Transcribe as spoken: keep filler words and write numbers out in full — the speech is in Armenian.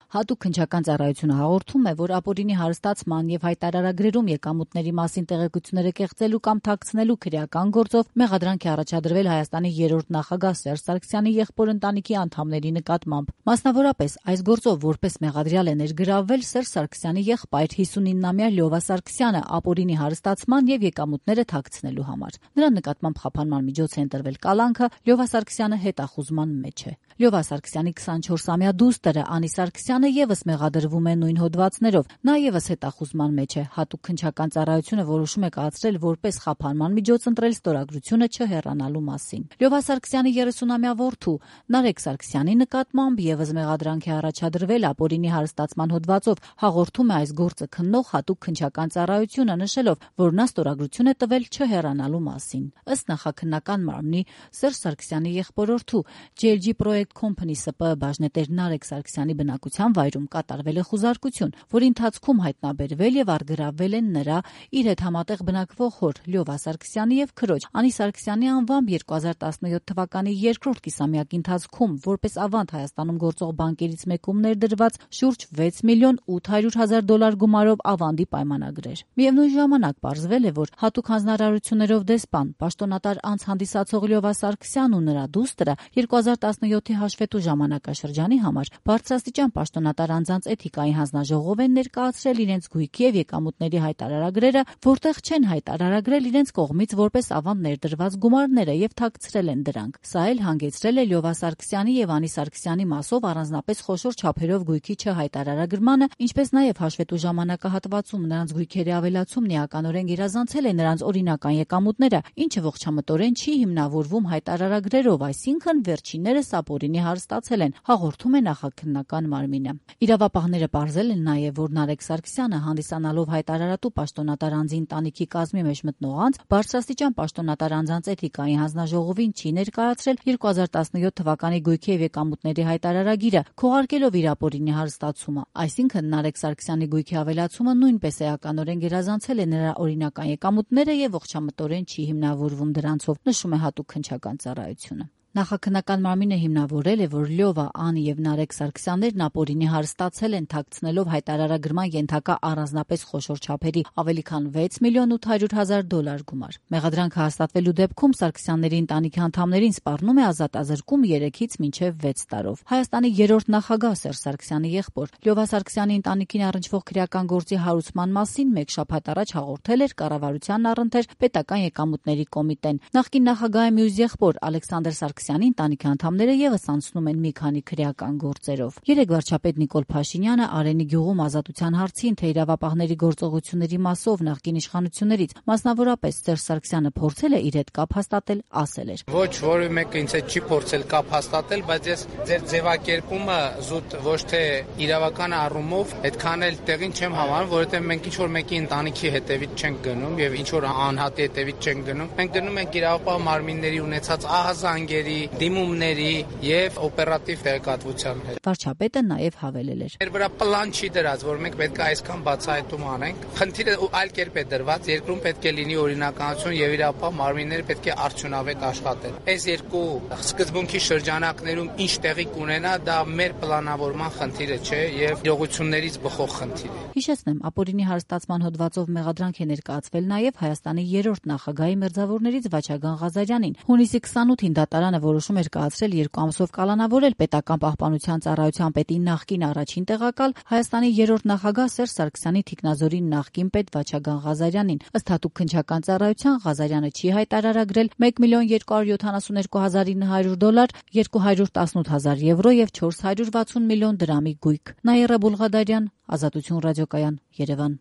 Հատուկ քննչական ծառայությունը հաղորդում է, որ ապօրինի հարստացման եւ հայտարարագրերում եկամուտների մասին տեղեկությունները կեղծելու կամ թաքցնելու քրեական գործով մեղադրանք է առաջադրվել Հայաստանի երրորդ նախագահ Սերժ Սարգսյանի եղբոր ընտանիքի անդամների նկատմամբ։ Մասնավորապես, այս գործով որպես մեղադրյալ է ներգրավվել Սերժ Սարգսյանի եղբայր հիսունինամյա Լյովա Սարգսյանը ապօրինի հարստացման եւ եկամուտները թաքցնելու համար։ Նրա նկատմամբ խափանման միջոց է ընտրվել կալանքը, Լյովա Սարգսյանը հետախուզման մեջ է։ Լյովա Սարգսյանի քսանչորսամյա դուստրը Անի Սարգսյանը եւս մեղադրվում է նույն հոդվածներով։ Նա եւս հետախուզման մեջ է։ Հատուկ քննչական ծառայությունը որոշում է կայացրել որպես խափանման միջոց ընտրել ստորագրությունը չհեռանալու մասին։ Լյովա Սարգսյանի երեսունամյա որդու Նարեկ Սարգսյանի նկատմամբ եւս մեղադրանք է առաջադրվել ապօրինի հարստացման հոդվածով, հաղորդում է այս գործը քննող հատուկ քննչական ծառայությունը, նշելով, որ նա ստորագրություն է տվել չհեռանալու մասին։ Ըստ նախաքննական մարմնի Սերժ Սարգսյանի եղբորորդու ջի ել ջի Project Company Ս Պ բաժնետեր Նարեկ Սարգսյանի բնակության վայրում կատարվել է խուզարկություն, որի ընթացքում հայտնաբերվել եւ առգրավվել են նրա իր հետ համատեղ բնակվող հոր Լյովա Սարգսյանի եւ քրոջ Անի Սարգսյանի անվամբ երկու հազար տասնյոթ թվականի երկրորդ կիսամյակի ընթացքում որպես ավանդ Հայաստանում գործող բանկերից մեկում ներդրված շուրջ վեց միլիոն ութ հարյուր հազար դոլար գումարով ավանդի պայմանագրեր։ Միևնույն ժամանակ պարզվել է, որ հատուկ հանձնարարություններով դեսպան, պաշտոնատար անձ հանդիսացող Լյովա Սարգսյանն ու նրա դուստրը երկու հազար տասնյոթի հաշվետու ժամանակաշրջանի համար բարձրաստիճան պաշտոնատար անձանց էթիկայի հանձնաժողով են ներկայացրել իրենց գույքի եւ եկամուտների հայտարարագրերը, որտեղ չեն հայտարարագրել իրենց կողմից որպես ավանդ ներդրված գումարները եւ թաքցրել են դրանք։ Սա էլ հանգեցրել է Լյովա Սարգսյանի եւ Անի Սարգսյանի մասով առանձնապես խոշոր չափերով գույքի չհայտարարագրմանը, ինչպես նաեւ հաշվետու ժամանակահատվածում նրանց գույքերի ավելացումն էականորեն գերազանցել է նրանց օրինական եկամուտները, ինչը ողջամտորեն չի հիմնավորվում հայտարարագրերով, այսինքն վերջիններս ապօրինի հարստացել են, հաղորդում է նախաքննական մարմինը։ Իրավապահները պարզել են նաեւ, որ Նարեկ Սարգսյանը հանդիսանալով հայտարարատու պաշտոնատար անձի ընտանիքի կազմի մեջ մտնող անձ, բարձրաստիճան պաշտոնատար անձանց էթիկայի հանձնաժողովին չի ներկայացրել երկու հազար տասնյոթ թվականի գույքի եւ եկամուտների հայտարարագիրը, քողարկելով իր ապօրինի հարստացումը։ Այսինքն Նարեկ Սարգսյանի գույքի ավելացումը նույնպես էականորեն գերազանցել է նրա օրինական եկամուտները եւ ողջամտորեն չի հիմնավորվում դրանցով, նշում է հատուկ քննչական ծառայությունը։ Նախաքննական մարմինը հիմնավորել է, որ Լյովա, Անի եւ Նարեկ Սարգսյաններն ապօրինի հարստացել են թաքցնելով հայտարարագրման ենթակա առանձնապես խոշոր չափերի ավելի քան վեց միլիոն ութ հարյուր հազար դոլար գումար։ Մեղադրանքը հաստատվելու դեպքում Սարգսյանների ընտանիքի անդամներին սպառնում է ազատազրկում երեքից մինչև վեց տարով։ Հայաստանի երրորդ նախագահ Սերժ Սարգսյանի եղբոր Լյովա Սարգսյանի ընտանիքին առնչվող քրեական գործի հարուցման մասին մեկ շաբաթ առաջ հաղորդել էր կառավարության առընթեր պետական եկամուտների կոմիտեն։ Նախկին նախագահի մյուս եղբոր Ալեքսանդր Սարգսյանի ընտանիքի անդամները եւս անցնում են մի քանի քրեական գործերով։ Երեկ վարչապետ Նիկոլ Փաշինյանը Արենի գյուղում ազատության հարցին, թե իրավապահների գործողությունների մասով նախկին իշխանություններից, մասնավորապես Սերժ Սարգսյանը փորձել է իր հետ կապ հաստատել, ասել էր. Ոչ որևէ մեկը ինձ հետ չի փորձել կապ հաստատել, բայց ես ձեր ձևակերպումը զուտ ոչ թե իրավական առումով այդքան էլ տեղին չեմ համարում, որովհետեւ մենք ինչ որ մեկի ընտանիքի հետևից չենք գնում եւ ինչ որ անհատի հետևից չենք գնում։ Մենք գնում ենք իրավապահ մարմինների ունեցած ահազանգերի, դիմումների եւ օպերատիվ տեղեկատվության հետ։ Վարչապետը նաեւ հավելել էր. Մեր վրա պլան չի դրած, որ մենք պետք է այսքան բացահայտում անենք։ Խնդիրը այլ կերպ է դրված, երկրում պետք է լինի օրինականություն եւ իրավապահ մարմինները պետք է արդյունավետ աշխատեն։ Այս երկու սկզբունքի շրջանակներում ինչ տեղի կունենա, դա մեր պլանավորման խնդիրը չէ եւ իրողություններից բխող խնդիր է։ Հիշեցնեմ, ապօրինի հարստացման հոդվածով մեղադրանք է ներկայացվել նաեւ Հայաստանի երրորդ նախագահի մերձավորներից Վաչագան Ղազարյանին։ Հունիսի քսանութին դատարանը որոշում էր կայացրել երկու ամսով կալանավորել պետական պահպանության ծառայության պետի նախկին առաջին տեղակալ Հայաստանի երրորդ նախագահ Սերժ Սարգսյանի թիկնազորի նախկին պետ Վաչագան Ղազարյանին։ Ըստ հատուկ քննչական ծառայության Ղազարյանը չի հայտարարագրել մեկ միլիոն երկու հարյուր յոթանասունյոթ հազար ինը հարյուր դոլար, երկու հարյուր տասնութ հազար եվրո եւ չորս հարյուր վաթսուն միլիոն դրամի գույք։ Նաիրա Բուլղադարյան, Ազատություն ռադիոկայան, Երևան։